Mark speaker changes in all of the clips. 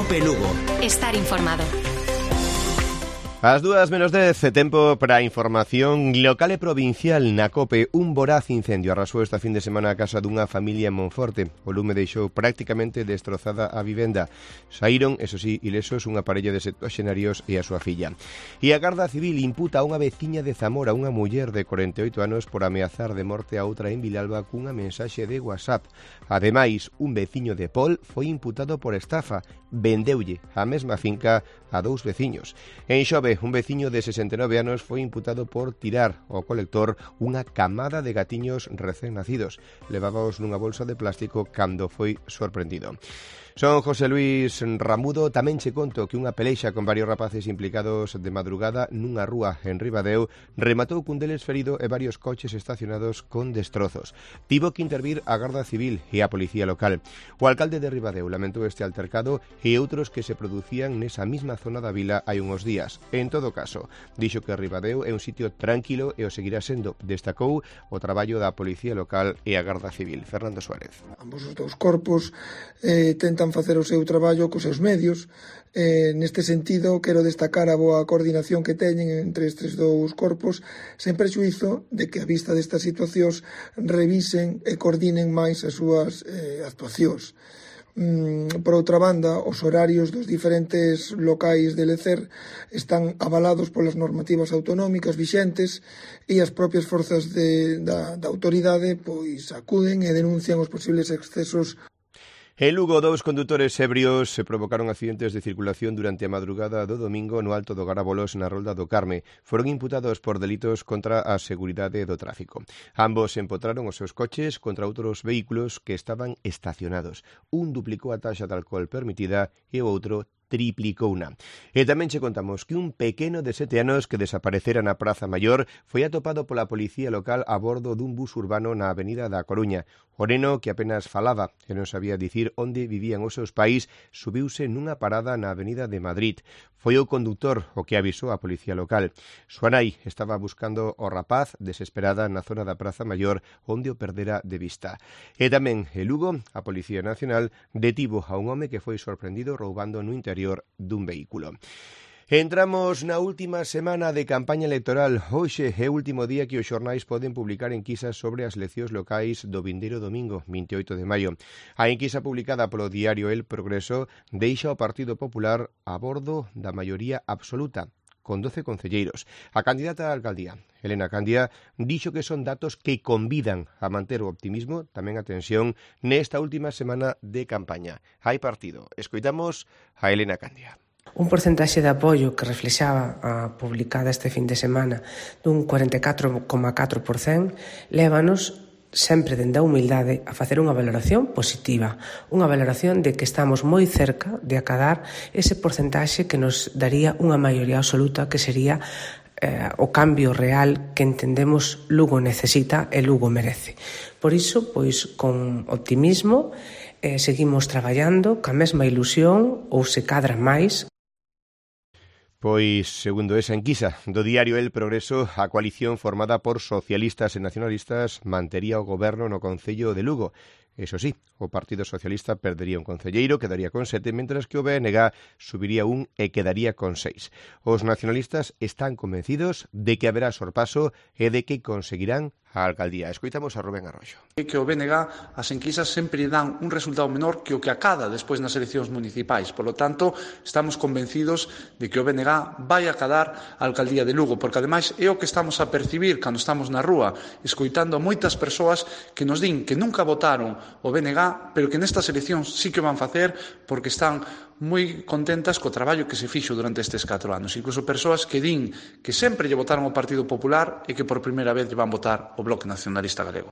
Speaker 1: COPE Lugo.
Speaker 2: Estar informado.
Speaker 3: As 2:10, tempo para a información local e provincial na COPE. Un voraz incendio arrasou esta fin de semana a casa dunha familia en Monforte. O lume deixou prácticamente destrozada a vivenda. Saíron, eso sí, ilesos unha parella de septuaxenarios e a súa filla. E a Garda Civil imputa a unha veciña de Zamora, unha muller de 48 anos, por ameazar de morte a outra en Vilalba cunha mensaxe de WhatsApp. Ademais, un veciño de Pol foi imputado por estafa. Vendeulle a mesma finca a dous veciños. En Xove, un veciño de 69 anos foi imputado por tirar ao colector unha camada de gatiños recén nacidos. Levábaos nunha bolsa de plástico cando foi sorprendido. Son José Luis Ramudo. Tamén che conto que unha peleixa con varios rapaces implicados de madrugada nunha rúa en Ribadeo rematou cun deles ferido e varios coches estacionados con destrozos. Tivo que intervir a Garda Civil e a Policía Local. O alcalde de Ribadeo lamentou este altercado e outros que se producían nesa mesma zona da vila hai uns días. En todo caso, dixo que Ribadeo é un sitio tranquilo e o seguirá sendo. Destacou o traballo da Policía Local e a Garda Civil. Fernando Suárez.
Speaker 4: Ambos os dous corpos tentan facer o seu traballo cos seus medios. Neste sentido, quero destacar a boa coordinación que teñen entre estes dous corpos, sen prexuízo de que, a vista destas situacións, revisen e coordinen máis as súas actuacións. Por outra banda, os horarios dos diferentes locais de lecer están avalados polas normativas autonómicas vixentes e as propias forzas da autoridade pois acuden e denuncian os posibles excesos.
Speaker 3: En Lugo, dous condutores ebrios se provocaron accidentes de circulación durante a madrugada do domingo no Alto do Garabolos, na Rolda do Carme. Foron imputados por delitos contra a seguridade do tráfico. Ambos empotraron os seus coches contra outros vehículos que estaban estacionados. Un duplicou a taxa de alcohol permitida e o outro triplicouna. E tamén che contamos que un pequeno de 7 anos que desaparecera na Praza Maior foi atopado pola Policía Local a bordo dun bus urbano na Avenida da Coruña. O neno, que apenas falaba e non sabía dicir onde vivían os seus pais, subiuse nunha parada na Avenida de Madrid. Foi o conductor o que avisou a Policía Local. Súa nai estaba buscando o rapaz desesperada na zona da Praza Maior onde o perdera de vista. E tamén en Lugo, a Policía Nacional detivo a un home que foi sorprendido roubando no interior dun vehículo. Entramos na última semana de campaña electoral. Hoxe é o último día que os xornais poden publicar enquisas sobre as eleccións locais do vindeiro domingo, 28 de maio. A enquisa publicada polo diario El Progreso deixa o Partido Popular a bordo da maioría absoluta, con 12 concelleiros. A candidata á alcaldía, Elena Candia, dixo que son datos que convidan a manter o optimismo, tamén a tensión, nesta última semana de campaña. Hai partido. Escoitamos a Elena Candia.
Speaker 5: Un porcentaxe de apoio que reflexaba a publicada este fin de semana dun 44,4% lévanos sempre dende a humildade a facer unha valoración positiva, unha valoración de que estamos moi cerca de acadar ese porcentaxe que nos daría unha maioría absoluta, que sería o cambio real que entendemos Lugo necesita e Lugo merece. Por iso, pois, con optimismo, seguimos traballando ca mesma ilusión ou se cadra máis.
Speaker 3: Pois, segundo esa enquisa do diario El Progreso, a coalición formada por socialistas e nacionalistas mantería o goberno no Concello de Lugo. Eso sí, o Partido Socialista perdería un concelleiro, quedaría con 7, mentras que o BNG subiría un e quedaría con 6. Os nacionalistas están convencidos de que haberá sorpaso e de que conseguirán a alcaldía. Escoitamos a Rubén Arroyo.
Speaker 6: Que o BNG as enquisas sempre dan un resultado menor que o que acada despois nas eleccións municipais. Por lo tanto, estamos convencidos de que o BNG vai acadar a alcaldía de Lugo, porque ademais é o que estamos a percibir cando estamos na rúa, escoitando a moitas persoas que nos din que nunca votaron o BNG, pero que nestas eleccións sí que van facer porque están moi contentas co traballo que se fixo durante estes 4 anos. Incluso persoas que din que sempre lle votaron ao Partido Popular e que por primeira vez lle van votar o Bloque Nacionalista Galego.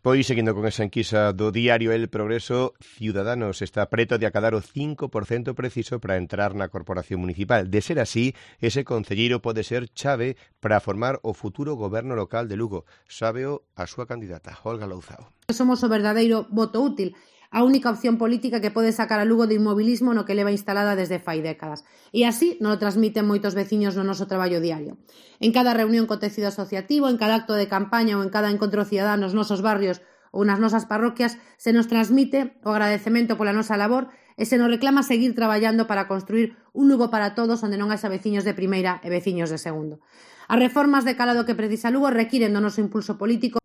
Speaker 3: Pois, seguindo con esa enquisa do diario El Progreso, Ciudadanos está preto de acadar o 5% preciso para entrar na corporación municipal. De ser así, ese concelleiro pode ser chave para formar o futuro goberno local de Lugo. Sábeo a súa candidata, Olga Louzao.
Speaker 7: Somos o verdadeiro voto útil, a única opción política que pode sacar a Lugo do inmobilismo no que leva instalada desde fai décadas. E así nos lo transmiten moitos veciños no noso traballo diario. En cada reunión co tecido asociativo, en cada acto de campaña ou en cada encontro cidadán nos nosos barrios ou nas nosas parroquias, se nos transmite o agradecemento pola nosa labor e se nos reclama seguir traballando para construir un Lugo para todos onde non haxa veciños de primeira e veciños de segundo. As reformas de calado que precisa Lugo requiren do noso impulso político.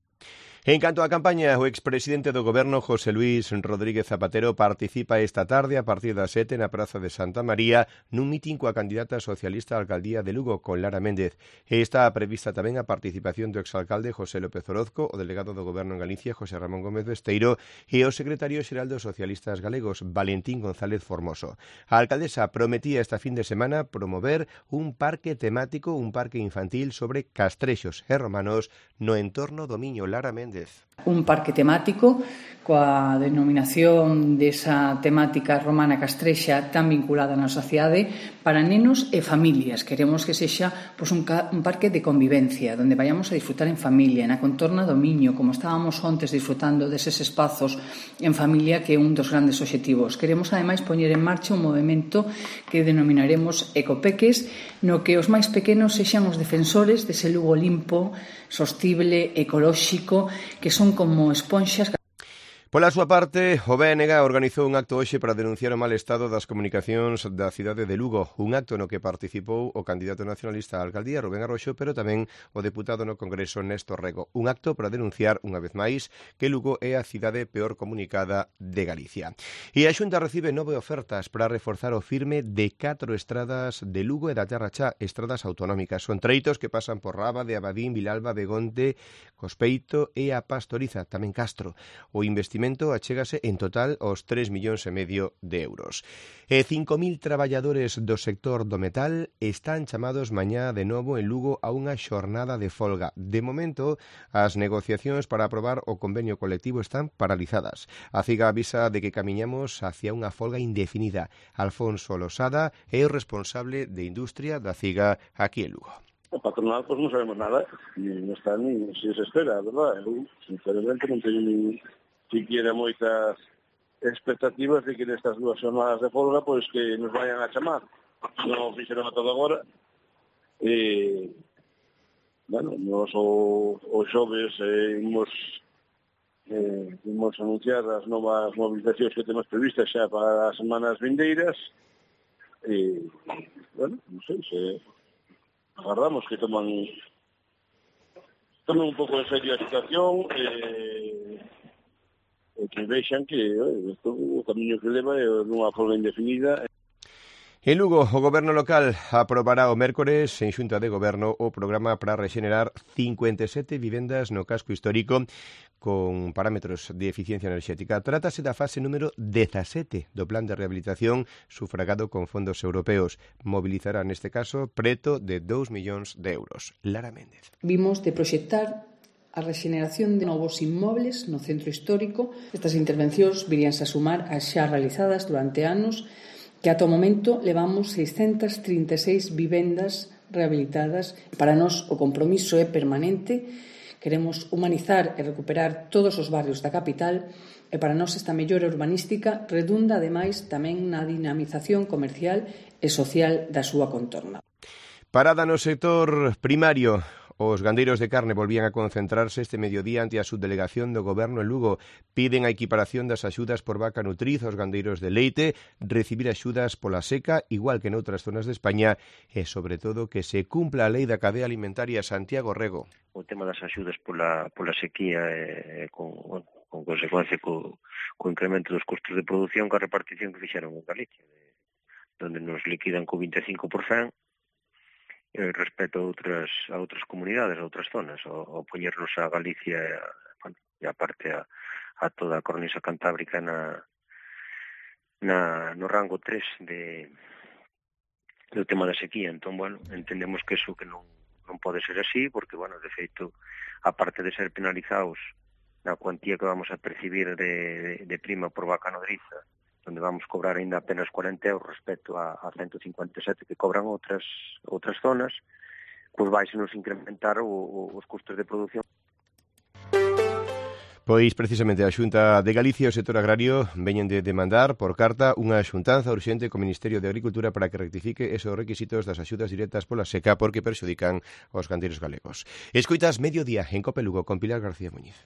Speaker 3: En canto á campaña, o expresidente do Goberno, José Luis Rodríguez Zapatero, participa esta tarde a partir das 7 na Praza de Santa María nun mitin coa candidata socialista á alcaldía de Lugo, con Lara Méndez. Está prevista tamén a participación do exalcalde José López Orozco, o delegado do Goberno en Galicia, José Ramón Gómez Besteiro, e o secretario xeral dos socialistas galegos, Valentín González Formoso. A alcaldesa prometía esta fin de semana promover un parque temático, un parque infantil sobre castrexos e romanos no entorno do Miño. Lara Méndez.
Speaker 1: Un parque temático coa denominación desa temática romana castrexa tan vinculada na sociedade para nenos e familias. Queremos que sexa un parque de convivencia, onde vayamos a disfrutar en familia, na contorna do Miño, como estábamos ontes disfrutando deses espazos en familia, que é un dos grandes obxectivos. Queremos, ademais, poñer en marcha un movimento que denominaremos Ecopeques, no que os máis pequenos sexan os defensores dese Lugo limpo, sostible, ecolóxico, que son como esponxas.
Speaker 3: Pola súa parte, o BNG organizou un acto hoxe para denunciar o mal estado das comunicacións da cidade de Lugo, un acto no que participou o candidato nacionalista á alcaldía, Rubén Arroxo, pero tamén o deputado no Congreso, Néstor Rego. Un acto para denunciar, unha vez máis, que Lugo é a cidade peor comunicada de Galicia. E a Xunta recibe 9 ofertas para reforzar o firme de 4 estradas de Lugo e da Terra Chá, estradas autonómicas. Son treitos que pasan por Raba, de Abadín, Vilalba, Begonte, Cospeito e a Pastoriza, tamén Castro. O investimento achégase en total aos 3,5 millóns de euros. E 5.000 traballadores do sector do metal están chamados mañá de novo en Lugo a unha xornada de folga. De momento, as negociacións para aprobar o convenio colectivo están paralizadas. A CIGA avisa de que camiñamos hacia unha folga indefinida. Alfonso Losada é o responsable de industria da CIGA aquí en Lugo.
Speaker 2: O patronal, pois non sabemos nada, non está ni se espera, verdad? Eu, sinceramente, non teño ni siquiera moitas expectativas de que nestas 2 jornadas de folga pois que nos vayan a chamar. Non fixeron a todo agora. Bueno, nos o xoves imos anunciar as novas movilizacións que temos previstas xa para as semanas vindeiras. Bueno, non sei, se agardamos que toman un pouco en serio a situación que vexan que o camiño que leva é unha folga indefinida.
Speaker 3: En Lugo, o Goberno local aprobará o mércores en Xunta de Goberno o programa para rexenerar 57 vivendas no casco histórico con parámetros de eficiencia enerxética. Trátase da fase número 17 do plan de rehabilitación sufragado con fondos europeos. Mobilizará neste caso preto de 2 millóns de euros. Lara Méndez.
Speaker 1: Vimos de proxectar a rexeneración de novos inmobles no centro histórico. Estas intervencións viríanse a sumar as xa realizadas durante anos, que ata o momento levamos 636 vivendas rehabilitadas. Para nós o compromiso é permanente. Queremos humanizar e recuperar todos os barrios da capital e para nós esta mellora urbanística redunda ademais tamén na dinamización comercial e social da súa contorna.
Speaker 3: Parada no sector primario. Os gandeiros de carne volvían a concentrarse este mediodía ante a subdelegación do Goberno en Lugo. Piden a equiparación das axudas por vaca nutriz aos gandeiros de leite, recibir axudas pola seca, igual que noutras zonas de España, e, sobre todo, que se cumpla a lei da cadea alimentaria. Santiago Rego.
Speaker 8: O tema das axudas pola sequía con consecuencia co incremento dos custos de produción, coa repartición que fixeron en Galicia, onde nos liquidan co 25%, respecto a outras comunidades, a outras zonas, ao poñernos a Galicia e a parte a toda a cornisa cantábrica no rango 3 do tema da sequía. Entón, bueno, entendemos que eso que non pode ser así, porque, bueno, de feito, a parte de ser penalizados na cuantía que vamos a percibir de prima por vaca nodriza, onde vamos cobrar ainda apenas 40 euros respecto a 157 que cobran outras zonas, pois vai se nos incrementar os custos de produción.
Speaker 3: Pois precisamente a Xunta de Galicia e o sector agrario veñen de demandar por carta unha xuntanza urxente co Ministerio de Agricultura para que rectifique esos requisitos das axudas directas pola seca porque perxudican aos gandeiros galegos. Escoitas Mediodía en Cope Lugo con Pilar García Muñiz.